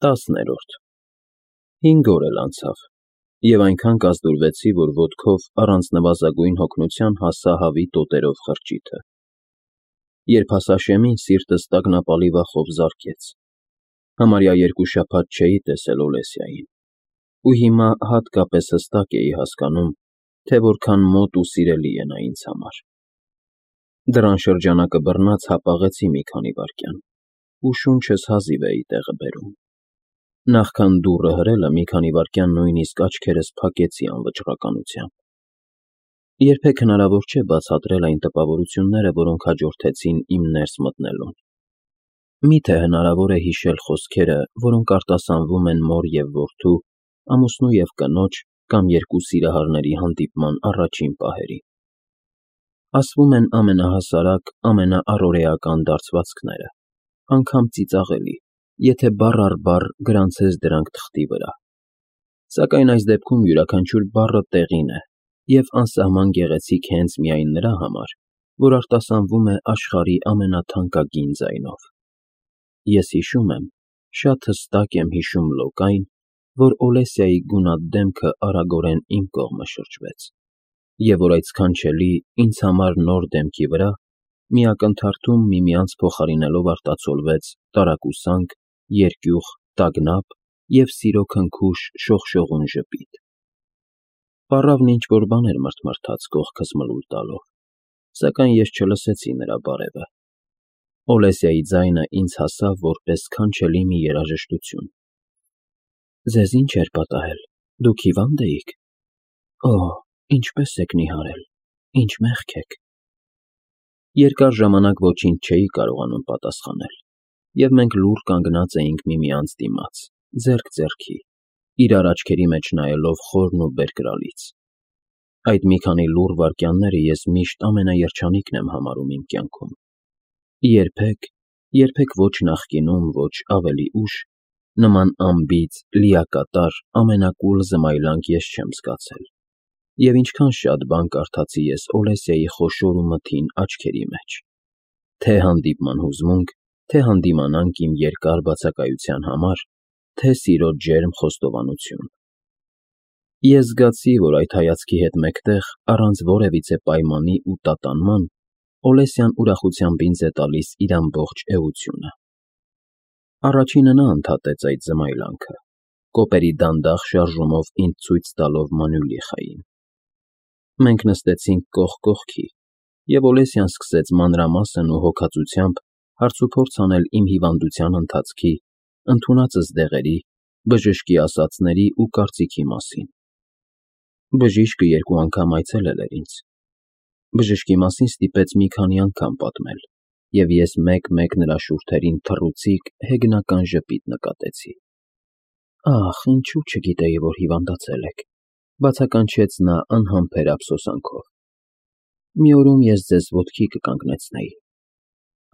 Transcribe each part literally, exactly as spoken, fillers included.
Տասներորդ Հինգ օր էլ անցավ, և այնքան կազդուրվեցի, որ ոտքով առանց նվազագույն հոգնության հասա հավի տոտերով խրճիթը. երբ հասա շեմին, սիրտս տագնապալի վախով զարկեց. համարյա երկու շաբաթ չէի տեսել Օլեսյային, ու հիմա հատկապես հստակ էի հասկանում, թե որքան մոտ ու սիրելի է նա ինձ համար: Դռան շրջանակը բռնած հապաղեցի մի քանի վայրկյան, ու շունչս հազիվ էի տեղը բերում: Նախքան դուռը հրելը մի քանի վայրկյան նույնիսկ աչքերս փակեցի անվճռականությամբ: Երբեք հնարավոր չէ բացատրել այն տպավորությունները, որոնք հաջորդեցին իմ ներս մտնելուն: Մի՞թե հնարավոր է հիշել խոսքերը, որոնք արտասանվում են մոր և որդու, ամուսնու և կնոջ կամ երկու սիրահարների հանդիպման առաջին պահերին: Ասվում են ամենահասարակ, ամենաառօրեական դարձվածքները, անգամ ծիծաղելի, եթե բառ առ բառ գրանցես դրանք թղթի վրա: Սակայն այս դեպքում յուրաքանչյուր բառը տեղին է և անսահման գեղեցիկ հենց միայն նրա համար, որ արտասանվում է աշխարհի ամենաթանկագին ձայնով: Ես հիշում եմ, շատ հստակ եմ հիշում լոկ այն, որ Օլեսիայի գունատ դեմքը արագորեն իմ կողմը շրջվեց, և որ այդ սքանչելի, ինձ համար նոր դեմքի վրա մի ակնթարթում միմյանց փոխարինելով արտացոլվեց տարակուսանք, երկյուղ, տագնապ և սիրո քնքուշ շողշողուն ժպիտ: Պառավն ինչ-որ բան էր մրթմրթաց կողքս մլուլ տալով, սակայն ես չլսեցի նրա բարևը: Օլեսիայի ձայնը ինձ հասավ որպես սքանչելի մի երաժշտություն: Ձեզ ի՞նչ էր պատահել, դուք հիվա՞նդ էիք: Օհ, ինչպե՞ս եք նիհարել, ինչ մեղք եք: Երկար ժամանակ ոչինչ չէի կարողանում պատասխանել, և մենք լուռ կանգնած էինք միմյանց դիմաց, ձեռք ձեռքի, իրար աչքերի մեջ նայելով խորն ու բերկրալից: Այդ մի քանի լուռ վայրկյանները ես միշտ ամենաերջանիկն եմ համարում իմ կյանքում: Երբեք, երբեք ոչ նախկինում, ոչ ավելի ուշ նման անբիծ, լիակատար, ամենակուլ զմայլանք ես չեմ զգացել: Եվ ինչքան շատ բան կարդացի ես Օլեսիայի խոշոր ու մթին աչքերի մեջ: Թե հանդիպման հուզմունք, թե հանդիմանանք իմ երկար բացակայության համար, թե սիրո ջերմ խոստովանություն: Ես զգացի, որ այդ հայացքի հետ մեկտեղ, առանց որևիցե պայմանի ու տատանման, Օլեսյան ուրախությամբ ինձ է տալիս իր ամբողջ էությունը: Առաջինը նա ընդհատեց այդ զմայլանքը, կոպերի դանդաղ շարժումով ինձ ցույց տալով Մանուլիխային: Մենք նստեցինք կողք կողքի, և Օլեսյան սկսեց մանրամասն ու հոգածությամբ հարցուփորձ անել իմ հիվանդության ընթացքի, ընդունածս դեղերի, բժշկի ասածների ու կարծիքի մասին: Բժիշկը երկու անգամ այցելել էր ինձ: Բժշկի մասին ստիպեց մի քանի անգամ պատմել, և ես մեկ-մեկ նրա շուրթերին թռուցիկ, հեգնական ժպիտ նկատեցի: Ախ, ինչո՞ւ չգիտեի, որ հիվանդացել եք, բացականչեց նա անհամբեր ափսոսանքով: Մի օրում ես ձեզ ոտքի կկանգնեցնեի: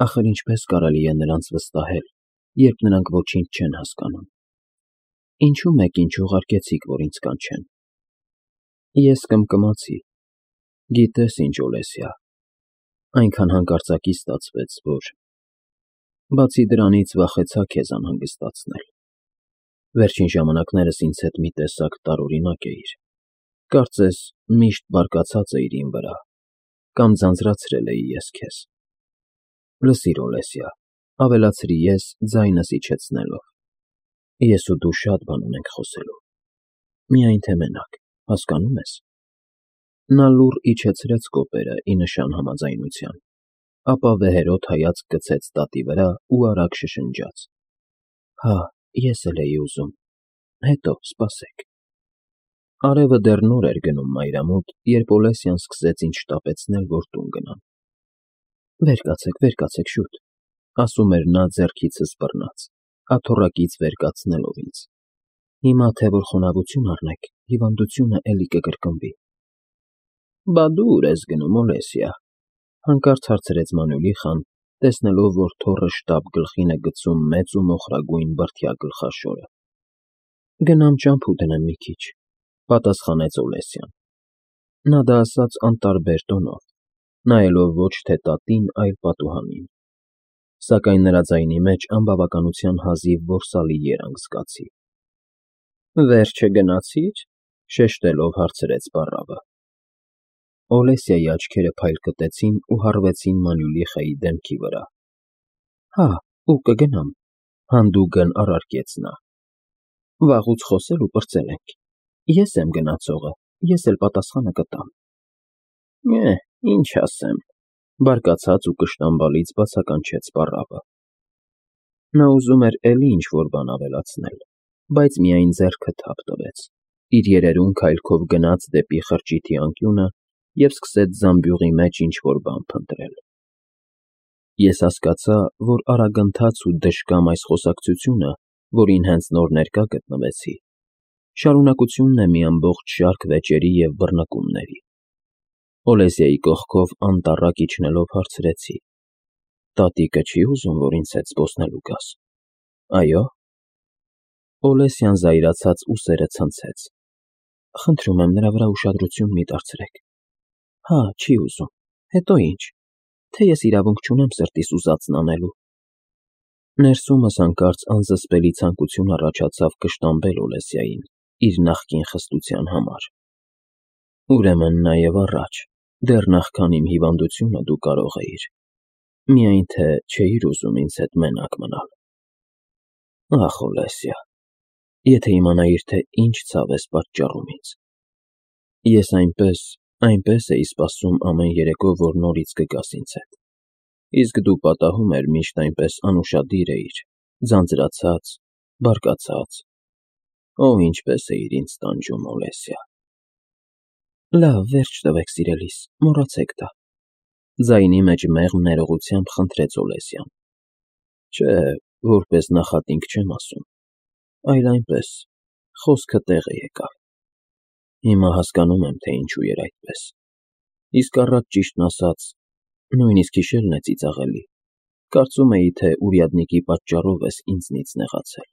Ախր ինչպե՞ս կարելի է նրանց վստահել, երբ նրանք ոչինչ չեն հասկանում: Ինչո՞ւ մեկին չուղարկեցիք, որ ինձ կանչեն: Ես կմկմացի: Գիտես ինչ, Օլեսյա, այնքան հանկարծակի ստացվեց, որ… Բացի դրանից, վախեցա քեզ անհանգստացնել: Վերջին ժամանակներս ինձ հետ մի տեսակ տարօրինակ էիր, կարծես միշտ բարկացած էիր իմ վրա, կամ ձանձրացրել էի ես քեզ: Լսիր, Օլեսյա, ավելացրի ես, ձայնս իջեցնելով, ես ու դու շատ բան ունենք խոսելու: Միայն թե մենակ, հասկանո՞ւմ ես: Նա լուռ իջեցրեց կոպերը ի նշան համաձայնության, ապա վեհերաս հայացք գցեց տատի վրա ու արագ շշնջաց. Հա, ես էլ էի ուզում, հետո, սպասեք: Արևը դեռ նոր էր գնում մայրամուտ, երբ Օլեսյան սկսեց ինձ շտապեցնել, որ տուն գնամ: Վեր կացեք, վեր կացեք շուտ, ասում էր նա ձեռքիցս բռնած, աթոռակից վեր կացնելով ինձ: Հիմա թե որ խոնավություն առնեք, հիվանդությունը էլի կկրկնվի: Բա դու ուր ես գնում, Օլեսյա, հանկարծ հարցրեց Մանուլիխան, տեսնելով, որ թոռը շտապ գլխին է գցում մեծ ու մոխրագույն բրդյա գլխաշորը: Գնամ ճամփու դնեմ մի քիչ, պատասխանեց Օլեսյան: Նա դա ասաց անտարբեր տոնով, նայելով ոչ թե տատին, այլ պատուհանին: Սակայն նրա ձայնի մեջ անբավականության հազիվ որսալի երանգ զգացի։ Վերջը գնացի՞ր,֊ շեշտելով հարցրեց պառավը։ Օլեսիայի աչքերը փայլ կտեցին ու հառվեցին Մանուլիխայի դեմքի վրա։ Հա, ու կգնամ,֊ հանդուգն առարկեց նա։ Վաղուց խոսել ու պրծել ենք։ Ես եմ գնացողը, ես էլ պատասխանը կտամ։ Է, ինչ ասեմ,֊ բարկացած ու կշտամբալից բացականչեց պառավը։ Նա ուզում էր էլի ինչ-որ բան ավելացնել, բայց միայն ձեռքը թափ տվեց, իր երերուն քայլքով գնաց դեպի խրճիթի անկյունը և սկսեց զամբյուղի մեջ ինչ-որ բան փնտրել։ Ես հասկացա, որ արագընթաց ու դժկամ այս խոսակցությունը, որին հենց նոր ներկա գտնվեցի, շարունակությունն է մի ամբողջ շարք վեճերի և բռնկումների։ Օլեսիայի կողքով անտառակ իջնելով հարցրեցի. Տատիկը չի ուզում, որ ինձ հետ զբոսնելու գաս։ Այո՞։ Օլեսյան զայրացած ուսերը ցնցեց։ Խնդրում եմ, նրա վրա ուշադրություն մի դարձրեք։ Հա, չի ուզում, հետո ինչ, թե ես իրավունք չունեմ սրտիս ուզածն անելու։ Ներսումս հանկարծ անզսպելի ցանկություն առաջացավ կշտամբել Օլեսիային իր նախկին խստության համար։ Ուրեմն նաև առաջ, դեռ նախքան իմ հիվանդությունը դու կարող էիր, միայն թե չէիր ուզում ինձ հետ մենակ մնալ։ Ախ, Օլեսիա, եթե իմանայիր, թե ինչ ցավ ես պատճառում ինձ։ Ես այնպես, այնպես էի սպասում ամեն երեկո, որ նորից կգաս ինձ հետ, իսկ դու պատահում էր միշտ այնպես անուշադիր էիր, ձանձրացած, բարկացած։ Օ, ինչպես էիր ինձ տանջում, Օլեսիա։ Լավ, վերջ տվեք, սիրելիս, մոռացեք դա, ձայնի մեջ մեղմ ներողությամբ խնդրեց Օլեսյան։ Չէ, որպես նախատինք չեմ ասում, այլ այնպես, խոսքը տեղը եկավ։ Հիմա հասկանում եմ, թե ինչու էր այդպես։ Իսկ առաջ, ճիշտն ասած, նույնիսկ հիշելն է ծիծաղելի, կարծում էի, թե ուրյադնիկի պատճառով ես ինձնից նեղացել,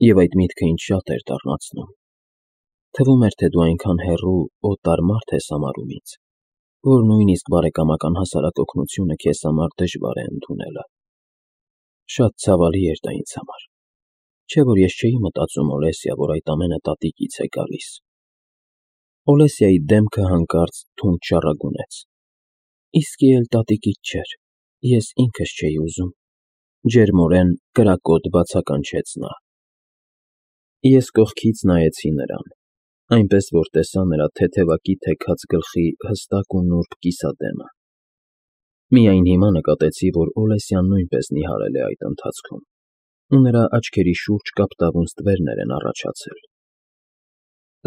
և այդ միտքը ինձ շատ էր դառնացնում։ Թվում էր, թե դու այնքան հեռու, օտար մարդ ես համարում ինձ, որ նույնիսկ բարեկամական հասարակ օգնությունը քեզ համար դժվար է ընդունելը։ Շատ ցավալի էր դա ինձ համար, չէ՞ որ ես չէի մտածում, Օլեսիա, որ այդ ամենը տատիկից է գալիս։ Օլեսիայի դեմքը հանկարծ թունդ շառագունեց։ Իսկի էլ տատիկից չէր, ես ինքս չէի ուզում, ջերմորեն կրակոտ բացականչեց նա։ Ես կողքից նայեցի նրան, այնպես որ տեսա նրա թեթևակի թեքած գլխի հստակ ու նուրբ կիսադեմը։ Միայն հիմա նկատեցի, որ Օլեսյան նույնպես նիհարել է այդ ընթացքում, ու նրա աչքերի շուրջ կապտավուն ստվերներ են առաջացել։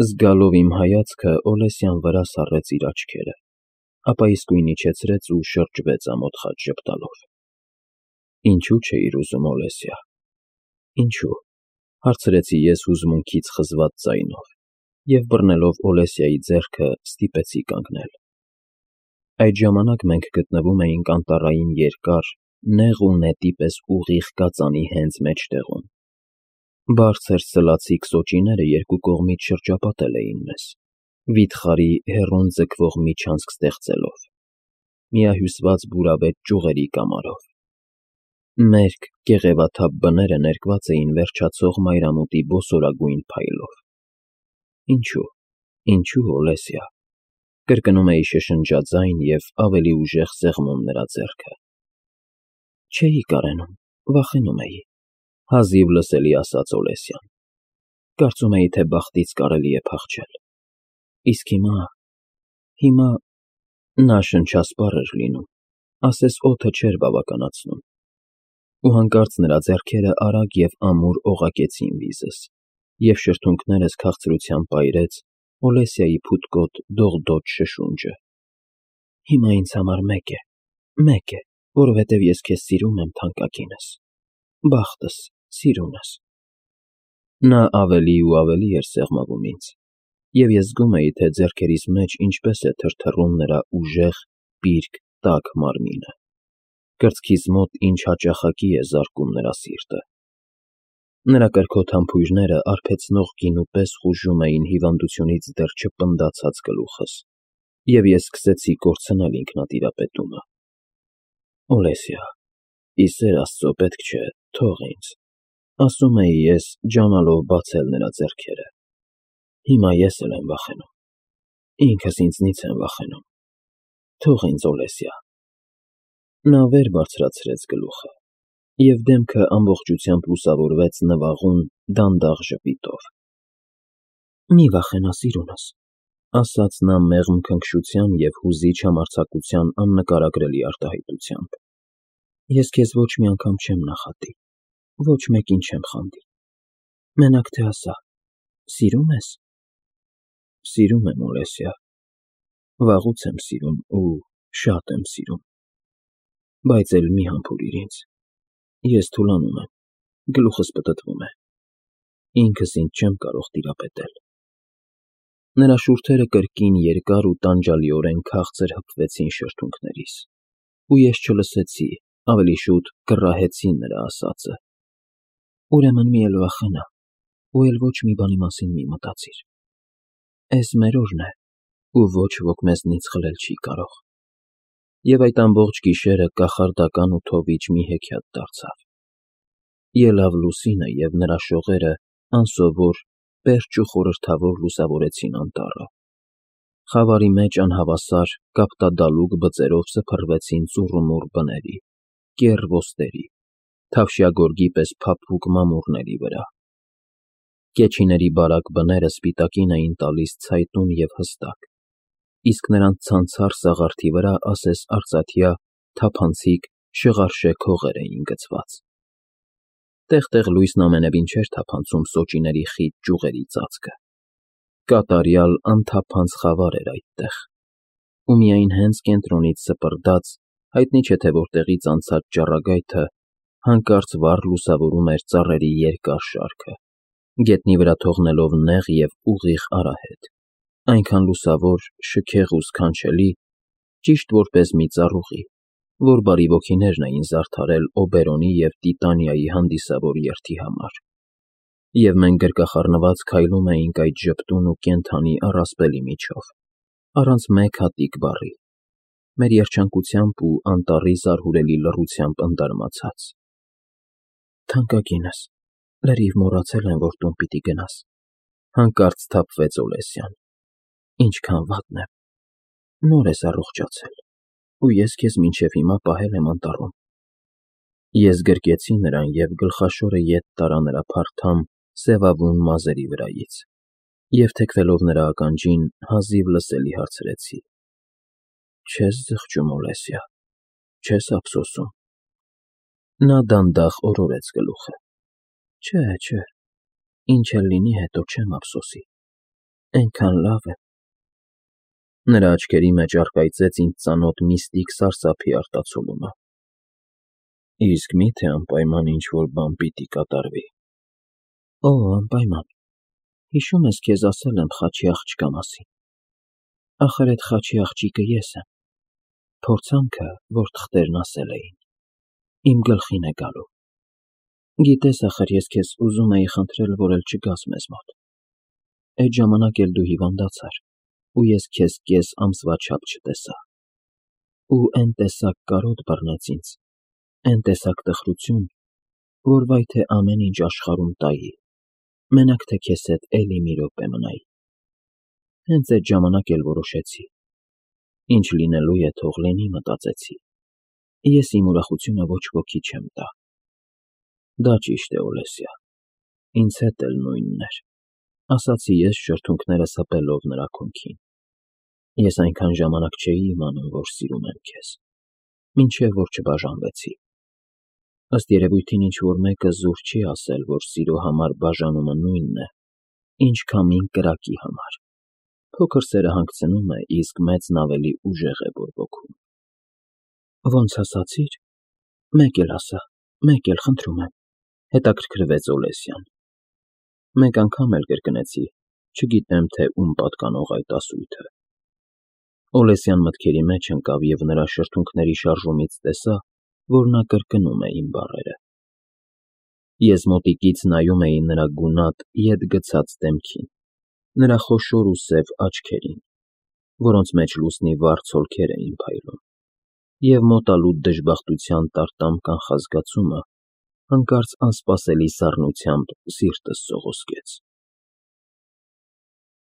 Զգալով իմ հայացքը, Օլեսյան վրա սառեց իր աչքերը, ապա իսկույն իջեցրեց ու շրջվեց ամոթ խաչ ժպտալով։ Ինչու չէիր ուզում, Օլեսիա։ Ինչու, հարցրեցի ես հուզմունքից խզված ձայնով, և բռնելով Օլեսիայի ձեռքը ստիպեցի կանգնել։ Այդ ժամանակ մենք գտնվում էինք անտառային երկար, նեղ ու նետի պես ուղիղ կածանի հենց մեջտեղում։ Բարձր սլացիկ սոճիները երկու կողմից շրջապատել էին մեզ, վիթխարի հեռուն ձգվող միջանցք ստեղծելով, միահյուսված բուրավետ ճյուղերի կամարով։ Մերկ, կեղևաթափ բները ներկված էին վերջացող մայրամուտի բոսորագույն փայլով։ Ինչու, ինչու, Օլեսիա, կրկնում էի շշնջաձայն և ավելի ուժեղ սեղմում նրա ձեռքը։ Չէի կարենում, վախենում էի, հազիվ լսելի ասաց Օլեսյան։ Կարծում էի, թե բախտից կարելի է փախչել։ Իսկ հիմա, հիմա… Նա շնչասպառ էր լինում, ասես օդը չէր բավականացնում։ Ու հանկարծ նրա ձեռքերը արագ և ամուր օղակեցին վիզս, և շրթունքներս քաղցրությամբ պայրեց Օլեսիայի փութկոտ դողդոջ շշունջը։ Հիմա ինձ համար մեկ է, մեկ է, որովհետև ես քեզ սիրում եմ, թանկագինս, բախտս, սիրունս։ Նա ավելի ու ավելի էր սեղմվում ինձ, և ես զգում էի, թե ձեռքերիս մեջ ինչպես է թրթռում նրա ուժեղ, պիրկ, տաք մարմինը, կրծքիս մոտ ինչ հաճախակի է զարկում նրա սիրտը։ Նրա կրքոտ համբույրները արբեցնող գինու պես խուժում էին հիվանդությունից դեռ չպնդացած գլուխս, և ես սկսեցի կորցնել ինքնատիրապետումը։ Օլեսիա, ի սեր Աստծո պետք չէ, թող ինձ, ասում էի ես, ջանալով բացել նրա ձեռքերը, հիմա ես էլ եմ վախենում, ինքս ինձնից եմ վախենում, թող ինձ Օլեսյա։ Նա վեր բարձրացրեց գլուխը, և դեմքը ամբողջությամբ լուսավորվեց նվաղուն, դանդաղ ժպիտով։ Մի վախենա, սիրունս, ասաց նա մեղմ քնքշության և հուզիչ համարձակության աննկարագրելի արտահայտությամբ, ես քեզ ոչ մի անգամ չեմ նախատի, ոչ մեկին չեմ խանդի, մենակ թե ասա, սիրո՞ւմ ես։ Սիրում եմ, Օլեսյա, վաղուց եմ սիրում ու շատ եմ սիրում, բայց էլ մի համբուրիր ինձ, ես թուլանում եմ, գլուխս պտտվում է, ինքս ինձ չեմ կարող տիրապետել։ Նրա շուրթերը կրկին երկար ու տանջալիորեն քաղցր հպվեցին շրթունքներիս, ու ես չլսեցի, ավելի շուտ կռահեցի նրա ասածը. ուրեմն մի էլ վախենա, ու էլ ոչ մի բանի մասին մի մտածիր, էս մեր օրն է, ու ոչ ոք մեզնից խլել չի կարող։ Եվ այդ ամբողջ գիշերը կախարդական ու թովիչ մի հեքիաթ դարձավ։ Ելավ լուսինը, և նրա շողերը անսովոր, պերճ ու խորհրդավոր լուսավորեցին անտառը։ Խավարի մեջ անհավասար, կապտադալուկ բծերով սփռվեցին ծուռումուռ բների, կեռ ոստերի, թավշյա գորգի պես փափուկ մամուռների վրա։ Կեչիների բարակ բները սպիտակին էին տալիս ցայտուն և հստակ, իսկ նրանց ցանցառ սաղարթի վրա ասես արծաթյա, թափանցիկ, շղարշեք հողեր էին գցված։ Տեղ֊տեղ լույսն ամենևին չէր թափանցում սոճիների խիտ ճյուղերի ծածկը, կատարյալ, անթափանց խավար էր այդտեղ, ու միայն հենց կենտրոնից սպրդած, հայտնի չէ թե որտեղից անցած ճառագայթը հանկարծ վառ լուսավորում էր ծառերի երկար շարքը, գետնի վրա թողնելով նեղ և ուղիղ արահետ, այնքան լուսավոր, շքեղ ու սքանչելի, ճիշտ որպես մի ծառուղի, որ բարի ոգիներն էին զարդարել Օբերոնի և Տիտանիայի հանդիսավոր երթի համար, և մենք գրկախառնված քայլում էինք այդ ժպտուն ու կենդանի առասպելի միջով, առանց մեկ հատիկ բառի, մեր երջանկությամբ ու անտառի զարհուրելի լռությամբ ընդարմացած։ Թանկագինս, լրիվ մոռացել եմ, որ տուն պիտի գնաս, հանկարծ սթափվեց Օլեսյան, ինչքան վատն եմ, նոր ես առողջացել, ու ես քեզ մինչև հիմա պահել եմ անտառում։ Ես գրկեցի նրան և գլխաշորը ետ տարա նրա փարթամ, սևավուն մազերի վրայից, և թեքվելով նրա ականջին, հազիվ լսելի հարցրեցի. չե՞ս զղջում, Օլեսյա, չե՞ս ափսոսում։ Նա դանդաղ օրորեց գլուխը. չէ, չէ, ինչ էլ լինի, հետո չեմ ափսոսի, էնքան լավ եմ։ Նրա աչքերի մեջ առկայծեց ինձ ծանոթ միստիկ սարսափի արտացոլումը։ Իսկ մի՞թե անպայման ինչ-որ բան պիտի կատարվի։ Օ, անպայման, հիշում ես, քեզ ասել եմ խաչի աղջկա մասին։ Ախր էդ խաչի աղջիկը ես եմ, փորձանքը, որ թղթերն ասել էին, իմ գլխին է գալու։ Գիտես, ախր ես քեզ ուզում էի խնդրել, որ էլ չգաս մեզ մոտ։ Էդ ժամանակ էլ դու հիվանդացար, ու ես քեզ կես ամսվա չափ չտեսա։ Ու էն տեսակ կարոտ բռնեց ինձ, էն տեսակ տխրություն, որ վայ թե ամեն ինչ աշխարհում տայի, մենակ թե քեզ հետ էլի մի րոպե մնայի։ Հենց էդ ժամանակ էլ որոշեցի. ինչ լինելու է, թող լինի, մտածեցի, ես իմ ուրախությունը ոչ ոքի չեմ տա։ Դա ճիշտ է, Օլեսյա, ինձ հետ էլ նույնն էր, ասացի ես շրթունքներս հպելով նրա քունքին։ Ես այնքան ժամանակ չէի իմանում, որ սիրում եմ քեզ, մինչև որ չբաժանվեցի։ Ըստ երևույթին ինչ-որ մեկը զուր չի ասել, որ սիրո համար բաժանումը նույնն է, ինչ քամին կրակի համար։ Փոքր սերը հանգցնում է, իսկ մեծն ավելի ուժեղ է բորբոքում։ Ոնց ասացիր, մեկ էլ ասա, մեկ էլ, խնդրում եմ, հետաքրքրվեց Օլեսյան։ Մեկ անգամ էլ կրկնեցի, չգիտեմ, թե ում պատկանող այդ ասույթը։ Օլեսյան մտքերի մեջ ընկավ և նրա շրթունքների շարժումից տեսա, որ նա կրկնում է իմ բառերը։ Ես մոտիկից նայում էի նրա գունատ, ետ գցած դեմքին, նրա խոշոր ու սև աչքերին, որոնց մեջ լուսնի վառ ցոլքեր էին փայլում, և մոտալուտ դժբախտության տարտամ կանխազգացումը հանկարծ անսպասելի սառնությամբ սիրտս սողոսկեց։